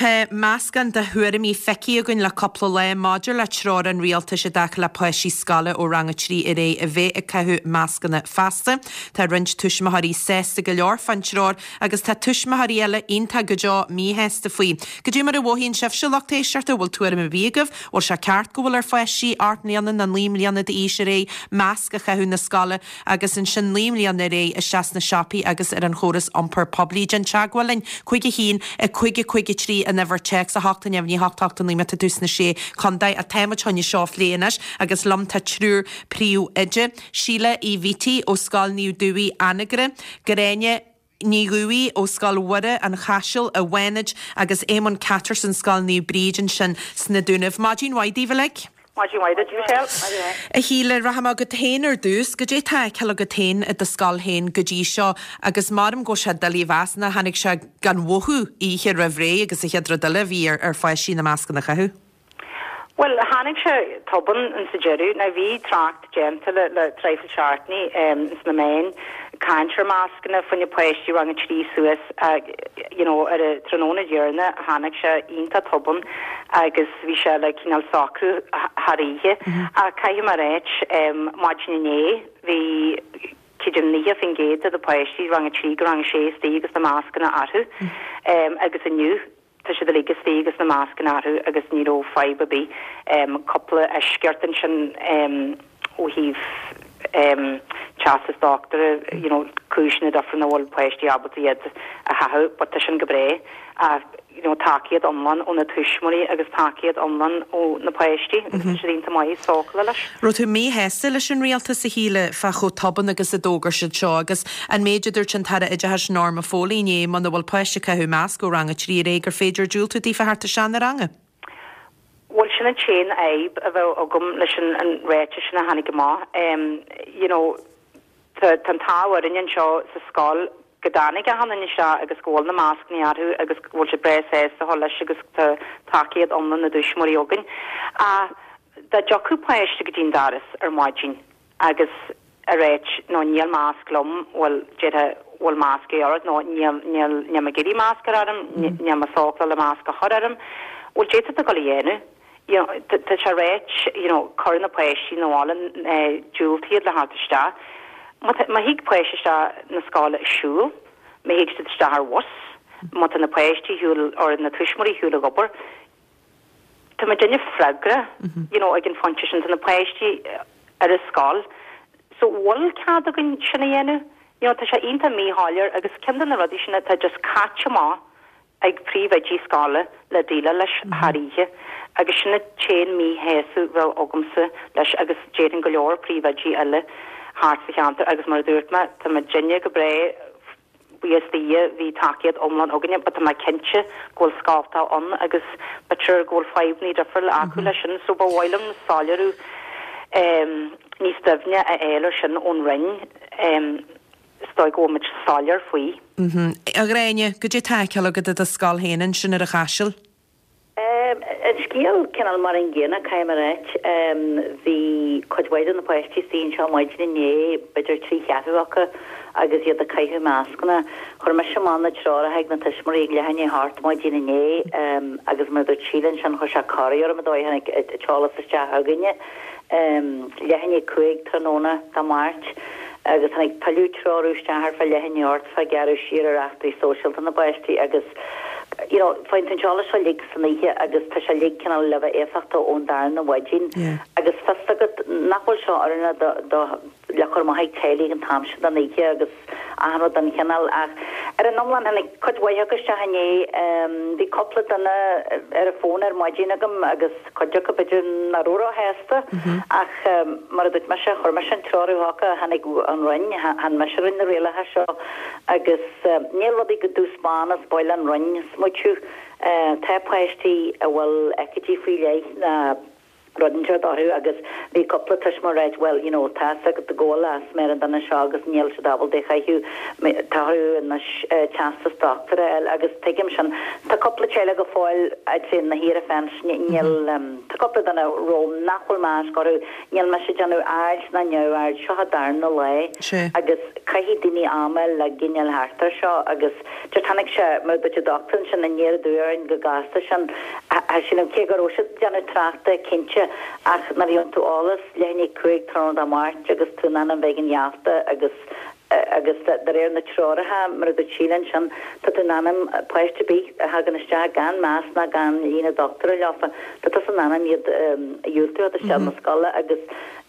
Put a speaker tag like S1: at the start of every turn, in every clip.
S1: Tá meascán de thuairimí feicthe againn le cúpla lá maidir le treoir an rialtais i dtaca le páistí scoile ó rang 3 ar aghaidh a bheith ag caitheamh mascanna feasta. Tá roinnt tuismitheoirí sásta go leor fán treoir agus tá tuismitheoirí eile iontach go deo míshásta faoi. Cad é mar a mhothaíonn sibhse, lucht éisteachta, an bhfuil tuairim ar bith agaibh? Bhfuil sé ceart go bhfuil ar pháistí 8 mbliana nó 9 mbliana d'aois ar aghaidh masc a chaitheamh 'na scoile? agus ansin 9 mbliana ar aghaidh isteach sna siopaí agus ar an chóras iompair poiblí. Déan teagmháil linn, 5 1 5 5 3 an uimhir téacs, 8 0 8 8 9 má tá tú sna Sé Chontae. Táimid chun é seo a phlé anois agus liom tá triúr príomhoide, Síle Uí Bhítí ó Scoil Naomh Dubhthaigh, Anagaire, Gráinne Ní Dhubhthaigh ó Scoil Mhuire, An Chaiseal, i bhFánaid agus Éamonn Catterson, Scoil Naomh Bríd ansin sna Dúnaibh. Maidin mhaith daoibh uilig.
S2: Maidin mhaith duit, Michelle. Maidin mhaith.
S1: A Shíle, rachaidh mé chugat féin ar dtús. Goidé tá á fheiceáil agat féin i do scoil féin go dtí seo agus maram go bhfuil sé doiligh a mheas nár tháinig sé gan mhothú oíche roimh ré agus an chéad rud eile a bhí ar pháistí na mascanna a chaitheamh?
S2: Bhuel, tháinig sé tobann ins an deireadh. Now bhí trácht déanta le le traidhfil seachtainí ins na meáin, caint ar mascanna fá choinne páistí rang a 3 suas you know ar an tráthnóna dheireanach tháinig sé iontach tobann agus bhí sé le cineál socrú thar oíche. Ach caithfidh mé a ráit, maidin inné bhí creidim 90% de na páistí rang a 3 go rang a 6 istigh agus na mascanna orthu agus inniu Tá siad uilig istigh agus na mascanna orthu agus ní raibh fadhb ar bith. Cúpla eisceacht ansin ó thaobh teastas dochtúra, you know, cúiseanna difriúla nach bhfuil páistí ábalta iad a chaitheamh but tá sin go breá. Ach, you know, tacaíocht iomlán ó na tuismitheoirí agus tacaíocht iomlán ó na páistí agus tá siad iontach maith sócúla leis.
S1: Raibh tú míshásta leis an rialtas, a Shíle, fá chomh tobann agus a d'fhógair siad seo agus an méid a dúirt an tAire Oideachais Norma Foley inné, muna bhfuil páiste ag caitheamh masc ó rang a 3 ar aghaidh gur féidir diúltú daofa theacht isteach 'na ranga?
S2: Bhuel, sin an t-aon fhadhb a bheadh agam leis an ráiteas sin a tháinig amach. You know, Tá an t-ádh orainn anseo sa scoil go dtáinig achan duine isteach agus go bhfuil na mascanna orthu agus go bhfuil siad breá sásta a dhul leis agus tá tacaíocht iomlán na dtuismitheoirí againn. Ach dá dtiocfadh páiste go dtí an doras ar maidin agus a ráit no níl masc liom, bhuel déarfá bhfuil masc ort nó níl níl níl mé ag iarraidh masc a chur orm, níl mé sócúla le masc a chur orm, bhuel d'fhéadfá tú dul a dhéanamh. you know, tá sé ráite, you know, cuir na páistí 'na bhaile, diúltaigh iad le theacht isteach. Má tá, má thig páiste isteach na scoile ag siúl, má thig siad isteach ar bhus, má tá na páistí ar shiúl, or na tuismitheoirí ar shiúl ag obair, tá muidinne freagrach, you know, ag an phointe sin, tá na páistí ar an scoil. So, bhfuil cead againn sin a dhéanamh? You know, tá sé iontach míshoiléir agus ceann de na rudaí sin atá just caite amach ag príomhoidí scoile le déileáil leis thar oíche agus sin an t-aon míshásamh a bheadh agamsa leis agus déarfainn go leor príomhoidí eile thart sa cheantar agus mar a dúirt mé tá muidinne go breá buíochas do Dhia bhí tacaíocht iomlán againne but tá mé cinnte go bhfuil scoltacha ann agus b'fhéidir go bhfuil fadhbanna difriúla acu leis sin so ba mhaith liom soiléiriú níos doimhne a fháil ar sin ón Roinn. Is dóigh go bhfuil muid soiléir faoi.
S1: A Ghráinne, goidé tá á fheiceáil agat i do scoil féin ansin ar an Chaiseal?
S3: An scéal cineál mar an gcéanna, caithfidh mé a ráit. Bhí cuid mhaith de na páistí istigh anseo maidin inné, b'fhéidir trí cheathrú acu, agus iad ag caitheamh mascanna. Chuir mise amach na treoracha ag na tuismitheoirí ag leath i ndiaidh a hocht maidin inné agus mar a dúirt Síle ansin, chuir sé corraí orm an dóigh a tháinig an t-eolas isteach chugainne. Leath i ndiaidh 5 tráthnóna Dé Máirt agus tháinig tuilleadh treorú isteach ar feadh leath i ndiaidh 8 fá gearradh siar ar eachtraí sóisialta na bpáistí agus you know faigheann tú an t-eolas seo uilig san oíche agus tá sé uilig cineál le bheith éifeachtach ón darna mhaidin agus fios agat nach bhfuil seo oiriúnach do do le cur amach ag teaghlaigh an t-am sin den oíche agus achan rud den chineál. Ach ar an iomlán, tháinig cuid mhaith acu isteach inné. Bhí cúpla duine ar an bhfón ar maidin agam agus cuid acu b'fhéidir nach raibh róshásta ach mar a dúirt mise, chuir mise an treoir chucu, tháinig ón Roinn, chan mise a rinne na rialacha seo agus níl rudaí go dubh 's bán is ba mhaith leis an Roinn smaoitiú. Tá páistí a bhfuil aicídí faoi leith ná. Rud inteacht orthu agus bhí cúpla tuismitheoir ag ráit bhuel you know tá fhios agat go bhfuil asma ar an duine seo agus níl siad ábalta é a chaitheamh, tá orthu anois teastas dochtúra a fháil agus tuigim sin. Tá cúpla teaghlach go fóill I'd say na thiar fence níl tá cúpla duine romham nach bhfuil masc orthu, níl mise ag déanamh aird ná neamhaird, seo an darna lá agus caithfidh daoine am a fháil le giniúil thart ar seo agus Just tháinig sé, mar a dúirt an dochtúir ansin, aniar aduaidh orainn go gasta sin. Sílim, cé go raibh siad ag déanamh tráchta, cinnte, ach nuair a gheobhann tú eolas leath i ndiaidh 5 tráthnóna Dé Máirt agus tú in ainm bheith ag an gheafta agus agus de réir na treoracha, mar a dúirt Síle ansin, tá tú in ainm páiste ar bith a thagann isteach gan masc ná gan líne dochtúra leofa, tá tusa in ainm iad a dhiúltú a isteach na scoile agus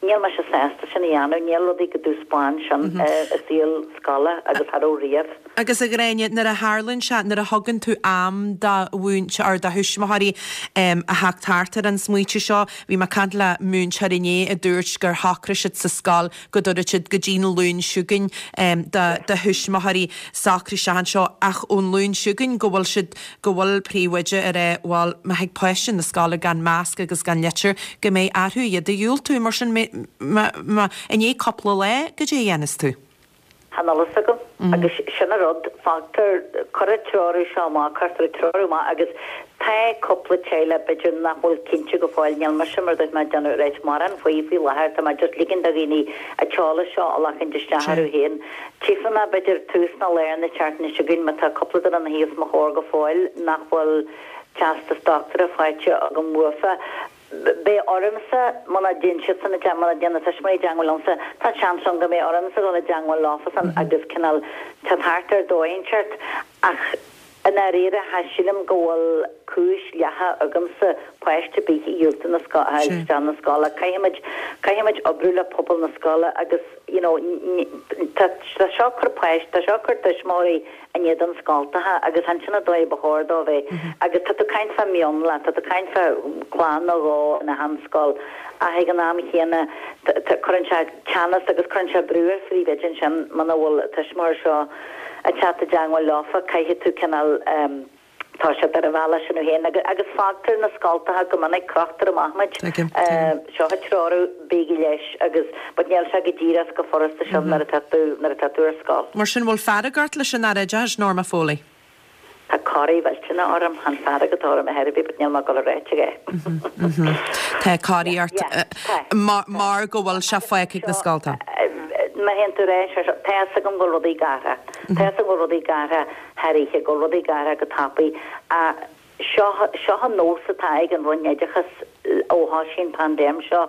S3: níl mise sásta sin a dhéanamh, níl rudaí go dubh 's bán sin i saol scoile agus cha raibh riamh.
S1: Agus a Ghráinne, nuair a tharlaíonn sé, nuair a thugann tú am do mhúinteoir, do thuismitheoirí a theacht thart ar an smaoitiú seo, bhí mé ag caint le múinteoir inné a dúirt gur shocraigh siad sa scoil go dtabharfadh siad go dtí an Luan chugainn do do thuismitheoirí socrú isteach anseo ach ón Luan chugainn go bhfuil siad, go bhfuil príomhoide ag rá bhuel má thig páiste na scoile gan masc agus gan litir go mbeidh orthu iad a dhiúltú. Mar sin, má, má, i ndiaidh cúpla lá, goidé a dhéanfas tú?
S3: Chan fhuil fhios agam. Agus sin an rud, fágtar, cuireadh an treorú seo amach, cuirtear an treorú amach agus tá cúpla teaghlach b'fhéidir nach bhfuil cinnte go fóill, níl mise mar a dúirt mé ag déanamh ráit mórán faoi faoi láthair, tá mé just ligean do dhaoine an t-eolas seo a ghlacaint isteach orthu féin. Tchífidh mé b'fhéidir tús nó lár na seachtaine seo chugainn má tá cúpla duine ina shuí os mo chomhair go fóill nach bhfuil teastas dochtúra faighte agam uafa. Beidh ormsa, muna dtéann siadsan i dteagmháil, muna dtéann na tuismitheoirí i dteagmháil liomsa, tá seans ann go mbeidh ormsa dul i dteagmháil leofasan agus cineál teacht thart ar dóigh inteacht. Ach i ndáiríre, cha sílim go bhfuil cúis dhleathach agamsa páiste ar bith a dhiúltú na scoile, a fháil isteach na scoile. Caithfimid, caithfimid oibriú le pobal na scoile agus, you know, tá, tá seo ag cur páiste, tá seo ag cur tuismitheoirí in éadan scoltacha agus chan sin an dóigh ba chóir dó bheith. Agus tá tú ag caint fá mhionlach, tá tú ag caint fá chlann nó dhó in achan scoil ach ag an am chéanna cuireann sé teannas agus cuireann sé brú ar phríomhoide ansin muna bhfuil an tuismitheoir seo ag teacht i dteagmháil leofa caithfidh tú cineál Tá siad ar an bhealach sin féin agus fágtar na scoltacha go minic, crochtar amach muid. Seo an treorú, bígí leis agus but níl sé go díreach is go furasta sin nuair atá tú, nuair atá tú ar scoil.
S1: Mar sin, bhfuil fearg ort leis an Aire Oideachais, Norma Foley?
S3: Tá corraí mhillteanach orm, chan fearg atá orm ar chor ar bith but níl mé ag dul a ráit é.
S1: Tá corraí ort mar go bhfuil sé fágtha ag na scoltacha.
S3: Má théann tú ar ais, tá fhios agam go bhfuil rudaí ag athrú. Tá fhios agam go bhfuil rudaí ag athrú. thar oíche, go bhfuil rudaí ag athrú go tapaidh. Ach seo, seo an nós atá ag an Roinn Oideachais ó thoisigh an paindéim seo.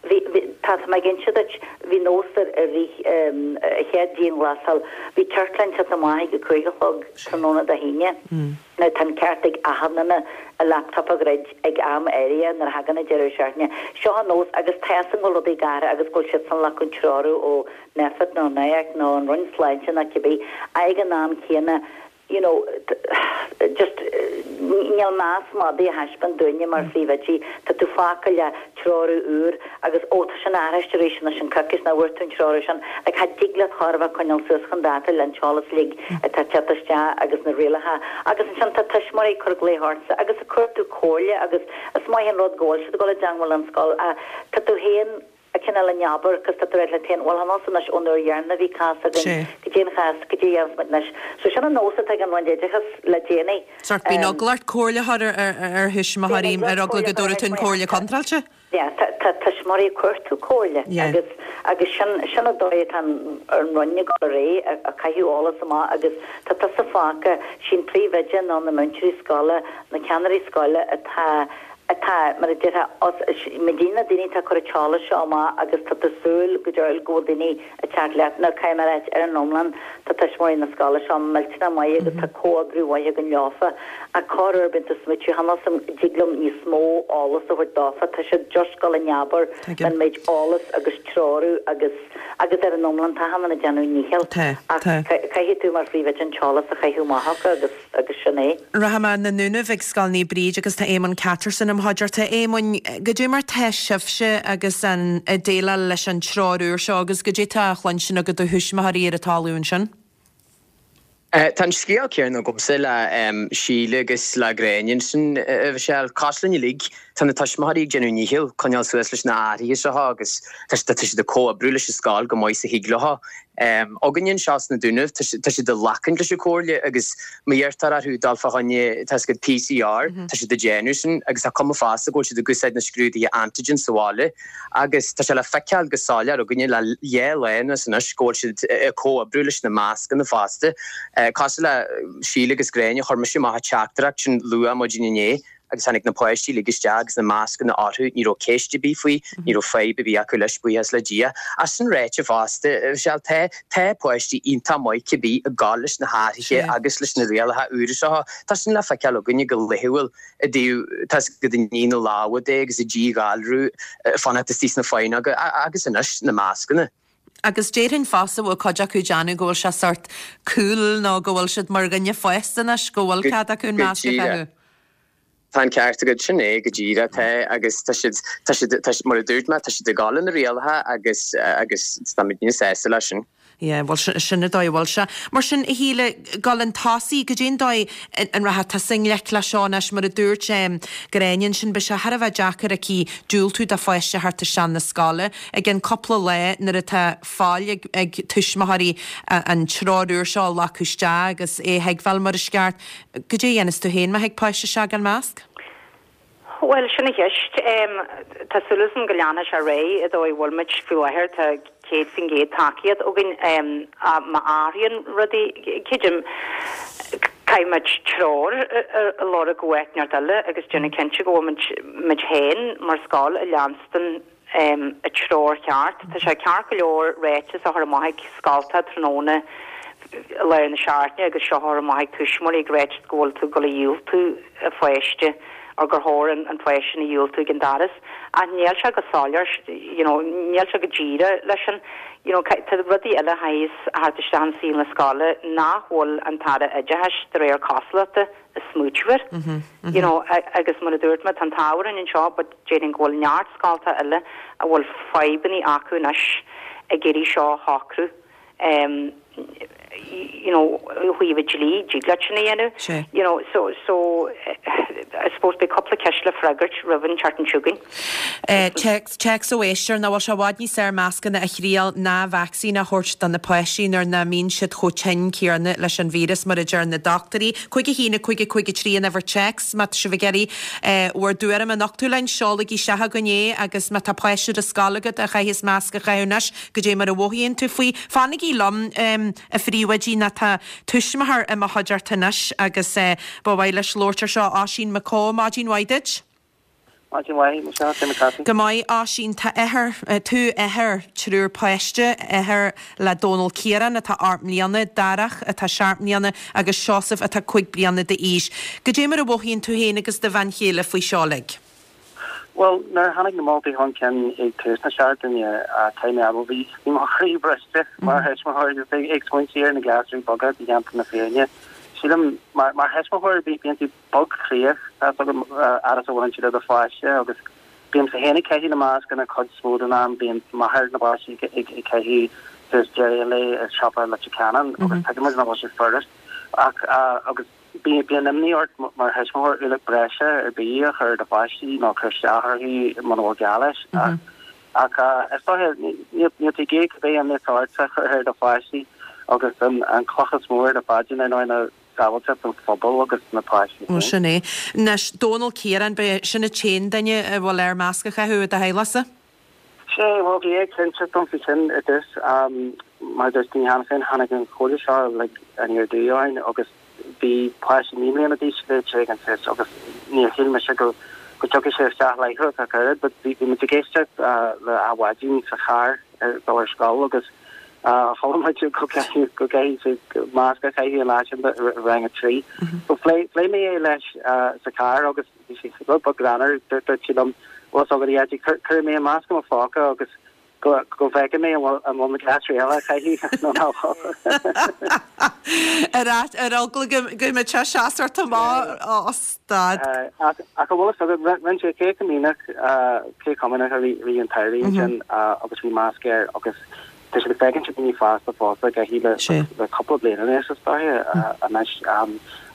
S3: Bhí, bhí, tá, tá mé ag inse duit, bhí nós ar, i rith an chéad dianghlasáil, bhí ciorcláin ag teacht amach ag a 5 a chlog tráthnóna Dé hAoine. Now tá an ceart ag achan duine a laptop a dhruid ag am áirithe nuair a thagann an deireadh seachtaine. Seo an nós agus tá fhios agam go bhfuil rudaí ag athrú agus go bhfuil siadsan ag glacadh treorú ó Nphet nó NIAC nó an Roinn Sláinte nó cibé, ag an am céanna, you know, just níl meas madaidh á thaispeáint dúinne mar phríomhoidí, tá tú fágtha le treorú úr agus ó tá sin athraithe arís anois an coicís nach bhfuair tú an treorú sin, like cha dtig leat chor a bheith coinneáil suas chun dáta le an t-eolas uilig atá ag teacht isteach agus na rialacha agus ansin tá tuismitheoirí ag cur glaoch ortsa agus ag cuartú comhairle agus is maith an rud go bhfuil siad ag dul i dteangmháil leis an scoil ach tá tú féin cineál in abar 'cause tá tú ag rá leat féin, bhuel chan fhios anois ón uair dheireanach a bhí cás againn, goidé an chás, goidé a dhéanfas muid anois. So sin an nós atá ag an Roinn Oideachais le déanaí.
S1: Sórt bíonn eagla ort comhairle a chur ar thuismitheoirí ar eagla go dtabharfaidh tú an comhairle contráilte.
S3: Yeah, tá tá tuismitheoirí ag cuartú comhairle agus agus sin sin an dóigh atá an an Roinn ag dul ar aghaidh, ag caitheamh eolas amach agus tá tusa fágtha, sí'n príomhoide nó na múinteoirí scoile, na ceannairí scoile atá atá, mar a déarfá, os, muidinne na daoine atá ag cur an t-eolas seo amach agus tá tú ag súil go deo go bhfuil daoine ag teacht leat. Now caithfidh mé a ráit, ar an iomlán, tá tuismitheoirí na scoile seo millteanach maith agus tá comhoibriú mhaith againn leofa ach corruair bíonn tú ag smaoitiú, chan fhios a'm, dtig liom níos mó eolas a thabhairt dófa, tá siad just ag dul in abar an méid eolas agus treorú agus, agus ar an iomlán tá achan duine ag déanamh a ndícheall ach caithfidh tú mar phríomhoide an t-eolas a chaitheamh amach acu agus. agus sin é.
S1: Rachaidh mé na Dúnaibh ag Scoil Naomh Bríd agus tá Éamonn Catterson im chuideachta. Éamoinn, goidé mar tá sibhse agus an ag déileáil leis an treoir úr seo agus goidé tá á chluinstin agat ó thuismitheoirí ar an talamh ansin?
S4: Tá an scéal céanna agamsa le Síle agus le Gráinne ansin, a Mhichelle. Cosúil linn uilig, tá na tuismitheoirí ag déanamh a ndícheall coinneáil suas leis na hathruithe seo agus tá siad ag comhoibriú leis an scoil chomh maith is a thig leo. Againne anseo sna Dúnaibh, tá siad ag glacaint leis an chomhairle agus má iarrtar orthu dul fá choinne test PCR, tá siad ag déanamh sin agus tá cuma fosta go bhfuil siad ag úsáid na scrúduithe antigen sa bhaile. Agus tá sé le feiceáil go soiléir againne le dhá lá anuas anois go bhfuil siad ag comhoibriú leis na mascanna fosta. Cosúil le Síle agus Gráinne, chuir mise amach an teachtaireacht sin luath maidin inné agus tháinig na páistí uilig isteach agus na mascanna orthu, ní raibh ceist ar bith faoi, ní raibh fadhb ar bith acu leis, buíochas le Dia. Ach sin ráite fosta, Michelle, tá, tá páistí iontach maith cibé ag gabháil leis na hathruithe agus leis na rialacha úra seo. Tá sin le feiceáil againne go laethúil. i dtaobh tá 's agat ag ní na lámha de agus ag díghalrú, fanacht istigh sna faighneoga agus anois na mascanna.
S1: Agus déarfainn fosta bhfuil cuid acu ag déanamh go bhfuil sé sort cool nó go bhfuil siad mar dhuine fásta anois go bhfuil cead acu an
S4: Go
S1: masc a
S4: díreach.
S1: chaitheamh.
S4: Tá an ceart agat, sin é go díreach, tá agus tá siad, tá siad, tá siad, mar a dúirt mé, tá siad ag gabháil le na rialacha agus, agus táimid níos sásta leis sin.
S1: Yeah, bhuel, sin an dóigh a bhfuil sé. Mar sin, a Shíle, gabháil chun tosaigh, goidé an dóigh an rachaidh tusa i ngleic leis seo anois, mar a dúirt Gráinne ansin, beidh sé thar a bheith deacair aici diúltú do pháiste a theacht isteach na scoile i gceann cúpla lá nuair atá fáil ag ag tuismitheoirí an treoir úr seo a ghlacadh isteach agus é a thuigbheáil mar is ceart. Goidé a dhéanfas tú féin má thig páiste isteach gan masc?
S2: Bhuel, sin an cheist. Tá súil agam go leanfaidh sé ar aghaidh an dóigh a bhfuil muid faoi láthair. Tá 100% tacaíocht againn. Má athraíonn rudaí, creidim, caithfidh muid treoir a lorg ó áit inteacht eile agus déanamh cinnte go bhfuil muid muid féin mar scoil ag leanstan an treoir cheart. Tá sé ceart go leor ráiteas a chur amach ag scoltacha tráthnóna i lár na seachtaine agus seo a chur amach ag tuismitheoirí ag ráit go bhfuil tú ag dul a dhiúltú an pháiste or gur chóir an pháiste sin a dhiúltú ag an doras. Ach níl sé go soiléir, you know, níl sé go díreach leis sin. You know, tá rudaí eile a théas thart isteach in saol na scoile nach bhfuil an tAire Oideachais de réir cosúlachta ag smaoitiú air. You know, agus mar a dúirt mé, tá an t-ádh orainn anseo but déarfainn go bhfuil neart scoltacha eile a bhfuil fadhbannaí acu anois ag iarraidh seo a shocrú. You know, ó thaobh an dlí, dtig leat sin a dhéanamh. You know, so, so, I suppose beidh cúpla ceist le freagairt roimh an tseachtain seo chugainn.
S1: Téacs, téacs ó éisteoir, nach bhfuil sé i bhfad níos fearr mascanna a thriail ná vacsaín a thabhairt do na páistí nuair nach mbíonn siad chomh tinn céanna leis an víreas mar a deir na dochtúirí. 5 1 5 5 3 an uimhir téacs má tá sibh ag iarraidh bhur dtuairim a nochtadh linn, seolaigí isteach chugainn é agus má tá páiste ar an scoil agat a chaitheas masc a chaitheamh anois, goidé mar a mhothaíonn tú faoi. Fanaigí liom, a phríomhoidí, nó tá tuismitheoir i mo chuideachta anois agus ba mhaith leis labhairt ar seo. Oisín Mac Cóil, maidin mhaith duit.
S5: Maidin mhaith, Michelle, cé mar tá tú?
S1: Go maith, Oisín. Tá athair, tú athair triúr páiste, athair le Dónal Ciarán atá 8 mbliana, Darach atá 7 mbliana agus Seosamh atá 5 bliana d'aois. Goidé mar a mhothaíonn tú féin agus do bhean chéile faoi seo uilig?
S5: Bhuel, nuair a tháinig na moltaí chun cinn ag tús na seachtaine, caithfidh mé a admháil, bhí bhí mo chroí briste mar thuismitheoir agus ag smaointiú ar na gasúir beaga, déanta na fírinne. Sílim, mar mar thuismitheoir, bíonn tú bog chroíoch, tá 's agam, fhad is a bhaineann siad le do pháiste agus bímse féin ag caitheamh na mascanna cuid is mó den am, bíonn máthair na bpáistí ag ag caitheamh suas deireadh an lae i siopa Leitir Ceanainn agus tuigimid nach bhfuil sé furast ach agus Bíonn imní ort mar thuismitheoir ualach breise ar bith a chur ar do pháistí nó cur isteach orthu muna bhfuil gá leis. Ach is dóiche, níl tú ag iarraidh cibé imní atá ort a chur ar do pháistí agus an cloch is mó ar do phaidrín ar ndóigh ná sábháilteacht an phobail agus na páistí
S1: féin. Sin é. Anois, Dónal Ciarán, b'é sin an t-aon duine a bhfuil air masc a chaitheamh i do theaghlachsa?
S5: Sea, bhuel, bhí éiginnteacht ann faoi sin i dtús. Mar a dúirt daoine cheana féin, tháinig an chomhairle seo like aniar aduaidh orainn agus bhí páiste 9 mbliana d'aois ag ag an tús agus níor shíl mise go go dtiocfadh sé isteach láithreach ach oiread but bhí bhí muid ag éisteacht le Adhmhaidin sa charr ar dul ar scoil agus chuala muid go gcaithfidh go gcaithfidh siad masc a chaitheamh an lá sin i rang a 3. So phléigh phléigh mé é leis sa charr agus Bhí sé rud beag greannmhar, dúirt sé liom, bhfuil fhios agat, a Dhaidí, cuirfidh mé an masc i mo phóca agus go go bhfeicfidh mé an bhfuil an bhfuil na gasúir eile á chaitheamh nó nach bhfuil.
S1: Ar ar eagla go go mbeadh sé seas ort amach ó stad.
S5: Ach ach an bhfuil fhios agat, rinne sé cé chomh míneach cé chomh míneach a bhí an t-aire ansin agus bhí masc air agus. Tá siad ag féachaint ar daoine fásta fosta ag caitheamh le le cúpla bliain anuas is dóiche anois.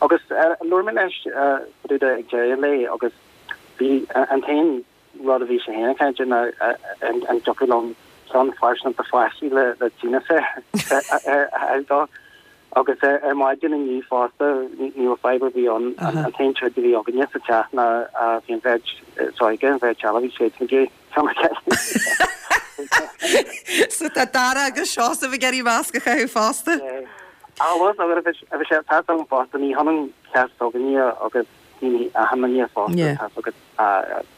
S5: Agus labhair mé leis fá dtaobh de ag deireadh an lae agus bhí an t-aon rud a bhí sé féin ag caint air ná an dtiocfadh liom ceann pearsanta do pháistí le le díneasaur a fháil dó. Agus ar maidin inniu fosta, ní raibh fadhb ar bith ann, an t-aon troid a bhí againne sa teach ná bhí an bheirt is óige, an bheirt eile, bhí siadsan ag iarraidh ceann a chaitheamh.
S1: So tá Dara agus Seosamh ag iarraidh masc a chaitheamh fosta?
S5: Ah bhuel, a Mhichelle, tá a fhios agam fosta, ní hionann cás s'againne agus daoine achan duine fosta, tá a fhios agat.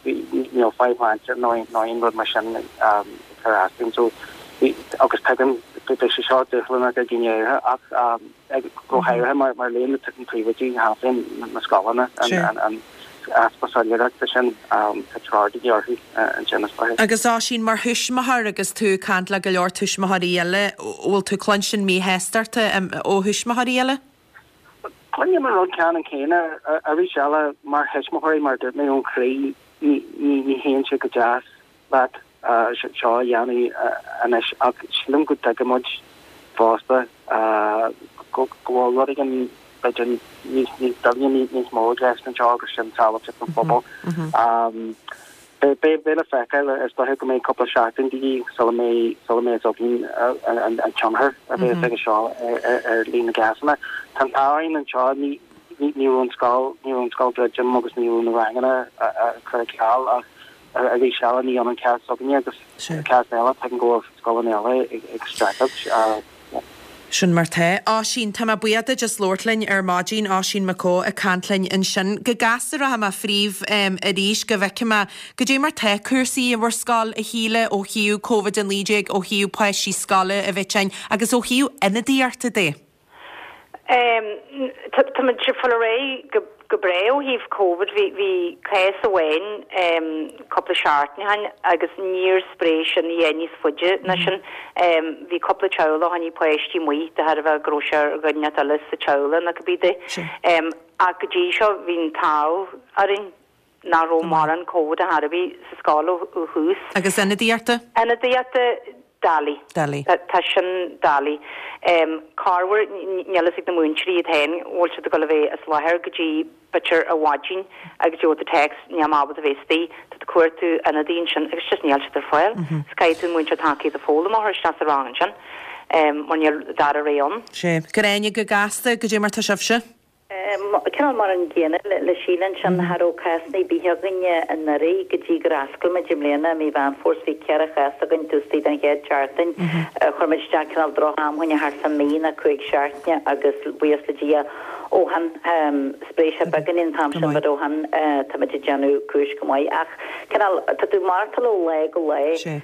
S5: Níl fadhb shláinte nó aon rud mar sin ag cur as dúinn so agus tuigim beidh sé seo dúshlánach ag daoine áirithe ach go háirithe mar mar luaigh na príomhoidí cheana féin na scoileanna an easpa soiléireachta sin tá treoir de dhíth orthu ansin is dóiche.
S1: Agus Oisín, mar thuismitheoir agus tú ag caint le go leor tuismitheoirí eile, bhfuil tú ag cluinstin míshástachta ó thuismitheoirí eile?
S5: Cluinim an rud ceannann céanna arís eile mar thuismitheoirí, mar a dúirt mé, ón chroí, ní théann sé go deas leat seo a dhéanamh anois ach sílim go dtuigeann muid fosta go bhfuil rud éigin b'fhéidir níos doimhne, níos mó i gceist anseo agus sin sábháilteacht an phobail. Beidh le feiceáil, is dóiche go mbeidh cúpla seachtain de dhíth sula mbeidh sula mbeidh a fhios againn an tionchar a bheas aige seo ar líon na gcásanna. Tá an t-ádh orainn anseo, ní ní raibh an scoil ní raibh an scoil druidte agus ní raibh na ranganna curtha ar ceal ach arís eile ní hionann cás s'againne agus cás eile, tuigim go bhfuil scoileanna eile ag streachailt.
S1: Sin mar tá. Oisín, tá mé buíoch duit as labhairt linn ar maidin. Oisín Mac Eó ag caint linn ansin. Go gasta rachaidh mé fríbh arís go bhfeicfidh mé goidé mar tá cúrsaí i bhur scoil, a Shíle, ó thaobh Covid-19, ó thaobh páistí scoile a bheith tinn agus ó thaobh ionadaíochta de.
S2: Tá muid ag fáil ar aghaidh go breá ó thaobh Covid. Bhí cás amháin cúpla seachtain ó shin agus níor spréigh sin a dhath níos faide ná sin. Bhí cúpla teaghlach a choinnigh páistí amuigh de thairbhe go raibh sé ar dhuine inteacht eile sa teaghlach nó cibé de. Ach go dtí seo bhí an t-ádh orainn. nach raibh mórán Covid ar chor ar bith sa scoil ó thús.
S1: Agus ionadaíochta?
S2: Ionadaíochta, doiligh.
S1: Doiligh.
S2: Tá sin doiligh. Corruair, níl fhios ag na múinteoirí iad féin an bhfuil siad ag dul a bheith as láthair go dtí b'fhéidir ar mhaidin agus gheobhaidh tú text, níl mé ábalta a bheith istigh, tá tú ag cuartú ionadaí ansin agus just níl siad ar fáil. So caithfidh tú múinteoir tacaíochta foghlama a chur isteach sa rang ansin mar níl dara rogha ann.
S1: Sea. Gráinne, go gasta, goidé mar tá sibhse?
S3: Cineál mar an gcéanna le Síle ansin, cha raibh cásanna ar bith againne anuraidh go dtí gur oscail muid i mbliana i mí Mheán Fómhair 's bhí 4 chás againn taobh istigh den chéad tseachtain. Chuir muid isteach cineál droch-am fá choinne thart fá mí nó 5 seachtaine agus buíochas le Dia ó shin spréigh sé beagáinín an t-am sin but ó shin táimid ag déanamh cúis go maith ach cineál tá tú ag maireachtáil ó lá go lá. Cha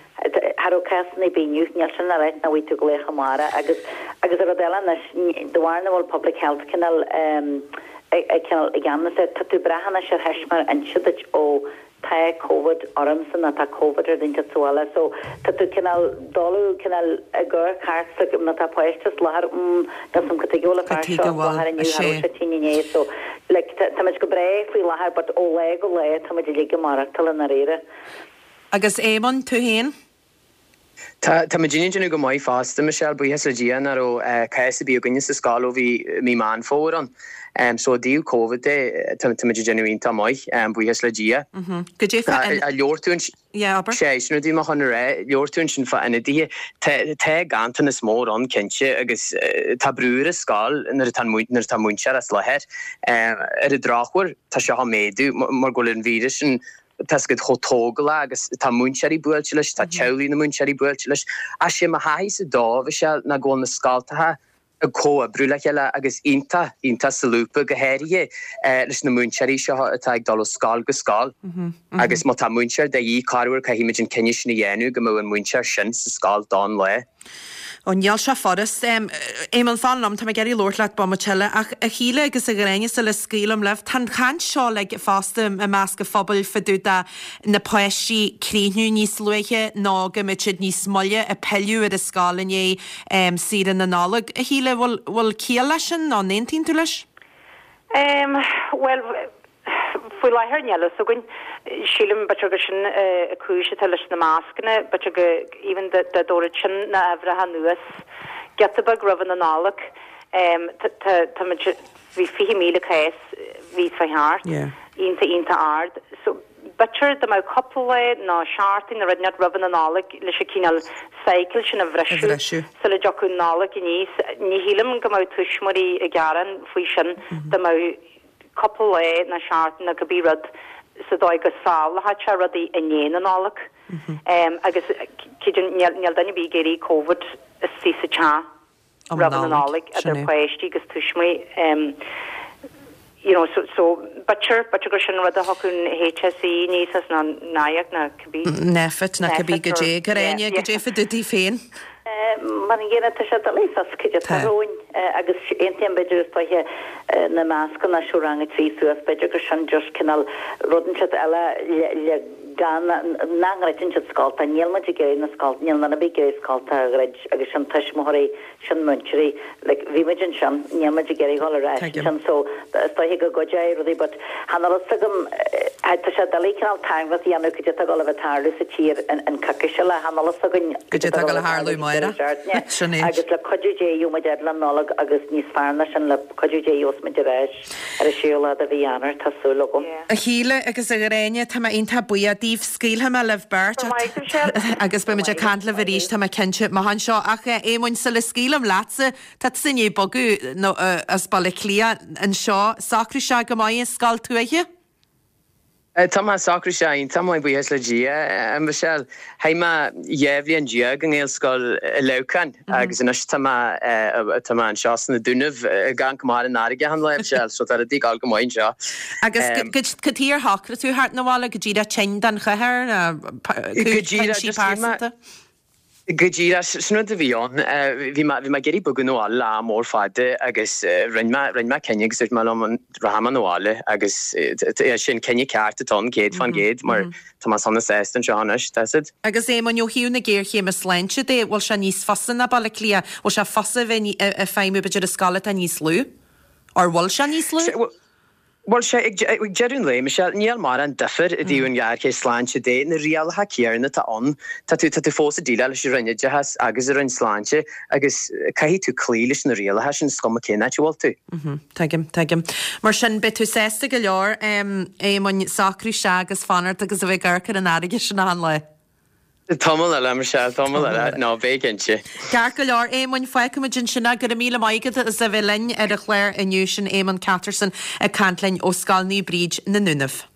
S3: raibh cásanna ar bith inniu, níl sin le ráit nach bhfaighidh tú glaoch amárach agus agus an rud eile anois, de bharr nach bhfuil public health cineál ag cineál i gceannas air, tá tú ag brath anois ar thuismitheoir inse duit ó tá Covid ormsa nó tá Covid ar duine inteacht sa bhaile so tá tú cineál dul cineál ag amharc thart sa má tá páiste as láthair mm níl 's a'm cad tuige a bhfuil an fear seo as láthair inniu cha raibh sé tinn inné so like táimid go breá faoi láthair but ó lá go lá táimid uilig ag maireachtáil i ndáiríre.
S1: Agus Éamonn, tú féin?
S4: Tá, tá muidinne ag déanamh go maith fosta, Michelle, buíochas le Dia nach raibh cás ar bith againne sa scoil ó bhí mí Meán Fómhair ann. So i dtaobh Covid de, tá, tá muid ag déanamh iontach maith, buíochas le Dia.
S1: Goidé fá in.
S4: Labhair tú ansin.
S1: Yeah, abair.
S4: Sé, sin rud a bhí mé chun a rá, labhair tú ansin fá ionadaithe. Tá, tá ganntanas mór ann, cinnte, agus tá brú ar an scoil nuair atá, nuair atá múinteoir as láthair. Ar an drochuair, tá seo á méadú mar go bhfuil an víreas sin Tá a fhios agat chomh tógálach agus tá múinteoirí buailte leis, tá teaghlaigh na múinteoirí buailte leis. Ach sé mo thaithísa dó, Mhichelle, ná go bhfuil na scoltacha ag comhoibriú le chéile agus iontach, iontach solúbtha, go háirithe leis na múinteoirí seo atá ag dul ó scoil go scoil. Agus má tá múinteoir de dhíth, corruair caithfimid an cinneadh sin a dhéanamh go mbeadh an múinteoir sin sa scoil don lá.
S1: Ó, níl sé furast. Éamonn, fan liom, tá mé ag iarraidh labhairt leat bomaite eile. Ach a Shíle agus a Ghráinne, sula scaoilim libh, tá an chaint seo uilig fosta i measc an phobail fá dtaobh de na páistí críochnú níos luaithe nó go mbeidh siad níos moille ag pilleadh ar an scoil i ndiaidh saoire na Nollag. A Shíle, bhfuil ciall leis sin nó an aontaíonn tú leis?
S2: Bhuel. Faoi láthair níl fhios againn. Sílim b'fhéidir gur sin an cúis atá leis na mascanna, b'fhéidir go even dá dtabharfadh sin na uimhreacha anuas giota beag roimh an Nollaig. Tá tá muid bhí 20,000 cás bhí fá thart, iontach iontach ard. So b'fhéidir dá mbeadh cúpla lá nó seachtain nó rud inteacht roimh an Nollaig leis an cineál cycle sin a bhriseadh sula dtiocfadh an Nollaig aníos. Ní shílim go mbeadh tuismitheoirí ag gearán faoi sin dá mbeadh cúpla lá nó seachtain nó cibé rud sa dóigh go sábhálfadh sé rudaí i ndiaidh na Nollag. Agus creidim níl duine ar bith ag iarraidh Covid istigh sa teach roimh na Nollag, idir páistí agus tuismitheoirí. You know, so, so b'fhéidir, b'fhéidir gur sin rud a thiocfadh an HSE aníos as nó NIAC nó cibé.
S1: Nphet nó cibé goidé, Gráinne, goidé fá dtaobh díot féin.
S3: Mar an gcéanna, tá sé doiligh fios cad é atá romhainn agus aontaím b'fhéidir is dóiche na mascanna seo rang 3 suas, b'fhéidir gur sin just cineál rud inteacht eile le gan, nach ndruideann siad scoltacha, níl muid ag iarraidh na scoltacha, níl duine ar bith ag iarraidh scoltacha a dhruid agus sin tuismitheoirí sin múinteoirí, like bhí muid ansin, níl muid ag iarraidh dhul ar ais ansin so is dóiche go gcuideoidh rudaí but chan fhuil fhios agam, tá sé doiligh cineál tairngreacht a dhéanamh cad é atá ag dul a bheith ag tarlú sa tír an coicís eile, chan fhuil fhios againn
S1: cad é atá ag dul a tharlú amárach,
S3: sin é. Agus le cuidiú Dé gheobhaidh muid fhad le Nollaig agus níos fearr ná sin le cuidiú Dé gheobhas muid ar ais ar an séú lá de mhí Eanáir, tá súil agam.
S1: A Shíle agus a Ghráinne, tá mé iontach buíoch daoibh. Scaoilfidh mé libh beirt agus beidh muid ag caint libh arís, tá mé cinnte, amach anseo. Ach a Éamoinn, sula scaoilim leatsa, tá tusa i ndiaidh bogadh as Baile Átha Cliath anseo. Socrú isteach go maith i scoil tuaithe?
S4: Tá mé socrú isteach iontach maith, buíochas le Dia, a Mhichelle. Chaith mé 12 bhliain i nGaelscoil i Leamhcán agus anois tá mé tá mé anseo sna Dúnaibh ag amharc amach ar an fharraige achan lá, a Mhichelle, so tá rudaí ag dul go maith anseo.
S1: Agus cad chuige ar shocraigh tú theacht 'na bhaile? Go díreach tinn don chathair nó cúinsí pearsanta?
S4: Go díreach, sin rud a bhí ann. Bhí mé, bhí mé ag iarraidh bogadh 'na bhaile le am mór fada agus rinne mé, rinne mé cinneadh agus dúirt mé liom rachaidh mé 'na bhaile agus é sin cinneadh ceart atá ann 100% mar tá mé sona sásta anseo anois, tá siad.
S1: Agus Éamonn, ó thaobh na géarchéime sláinte de, bhfuil sé níos fusa ná Baile Átha Cliath? Bhfuil sé fusa a bheith ag feidhmiú b'fhéidir i scoil atá níos lú? Or bhfuil sé níos lú?
S4: Bhuel, sea, ag deireadh an lae, Michelle, níl mórán difir i dtaobh an ghéarchéim sláinte de. Na rialacha céanna atá ann. Tá tú, tá tú fós ag déileáil leis an Roinn Oideachais agus an Roinn Sláinte agus caithfidh tú cloí leis na rialacha sin, is cuma cén áit a bhfuil tú.
S1: Tuigim, tuigim. Mar sin, beidh tú sásta go leor, Éamoinn, socrú isteach agus fanacht agus a bheith ag amharc ar an fharraige sin achan lá.
S4: Tamall eile, Michelle, tamall eile. Ná, beidh cinnte.
S1: Ceart go leor, Éamoinn, fágfaimid ansin é. Go raibh míle maith agat as a bheith linn ar an chlár inniu. Sin Éamonn Catterson ag caint linn ó Scoil Naomh Bríd na nDúnaibh.